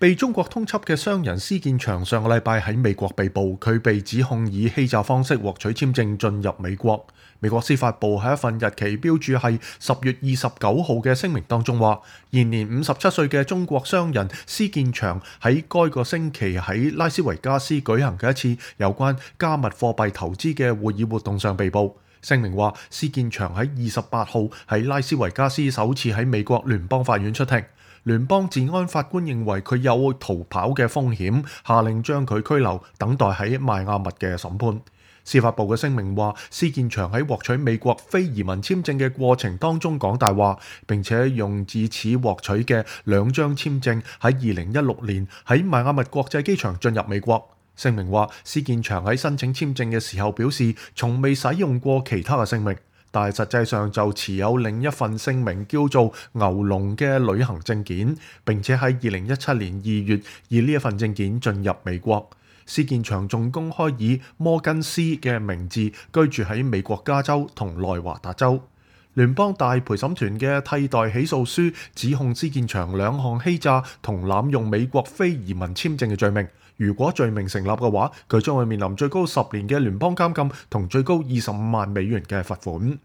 被中國通緝嘅商人施建祥上個禮拜喺美國被捕，佢被指控以欺詐方式獲取簽證進入美國。美國司法部喺一份日期標註係10月29號嘅聲明當中話，現年57歲嘅中國商人施建祥喺該個星期喺拉斯維加斯舉行嘅一次有關加密貨幣投資嘅會議活動上被捕。聲明話，施建祥喺28號喺拉斯維加斯首次喺美國聯邦法院出庭。聯邦治安法官認為佢有逃跑嘅風險，下令將佢拘留，等待喺邁阿密嘅審判。司法部嘅聲明話，施建祥喺獲取美國非移民簽證嘅過程當中講大話，並且用自此獲取嘅2張簽證喺2016年喺邁阿密國際機場進入美國。聲明話，施建祥喺申請簽證嘅時候表示，從未使用過其他嘅姓名，但係實際上就持有另一份姓名叫做牛龍嘅旅行證件，並且喺2017年2月以呢一份證件進入美國。施建祥仲公開以摩根斯嘅名字居住喺美國加州同內華達州。聯邦大陪審團嘅替代起訴書指控施建祥2項欺詐同濫用美國非移民簽證嘅罪名。如果罪名成立嘅話，佢將會面臨最高10年嘅聯邦監禁同最高25萬美元嘅罰款。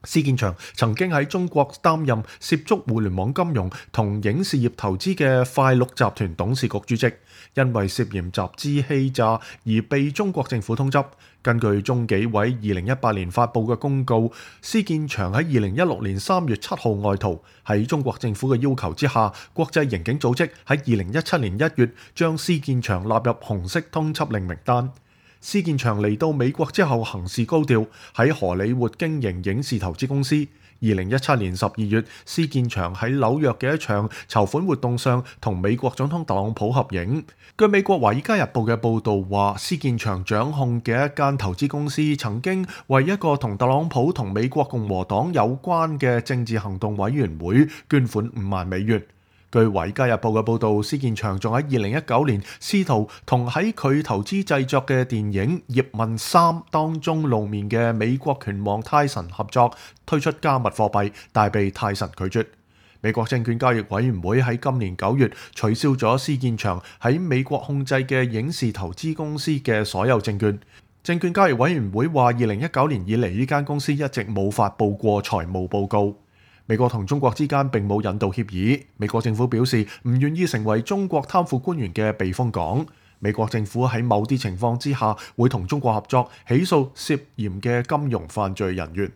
施建祥曾經喺中國擔任涉足互聯網金融同影視業投資嘅快鹿集團董事局主席，因為涉嫌集資欺詐而被中國政府通緝。根據中紀委2018年發布嘅公告，施建祥喺2016年3月7號外逃，喺中國政府嘅要求之下，國際刑警組織喺2017年1月將施建祥納入紅色通緝令名單。施建祥嚟到美國之後行事高調，喺荷里活經營影視投資公司。2017年12月，施建祥喺紐約嘅一場籌款活動上同美國總統特朗普合影。據美國《華爾街日報》嘅報導話，施建祥掌控嘅一間投資公司曾經為一個同特朗普同美國共和黨有關嘅政治行動委員會捐款5萬美元。據《華爾街日報》嘅報導，施建祥仲喺2019年試圖同喺佢投資製作嘅電影《葉問3》當中露面嘅美國拳王泰臣合作推出加密貨幣，但被泰臣拒絕。美國證券交易委員會喺今年9月取消咗施建祥喺美國控制嘅影視投資公司嘅所有證券。證券交易委員會話，2019年以嚟呢間公司一直冇發佈過財務報告。美國同中國之間並冇引渡協議，美國政府表示唔願意成為中國貪腐官員嘅避風港。美國政府喺某啲情況之下會同中國合作，起訴涉嫌嘅金融犯罪人員。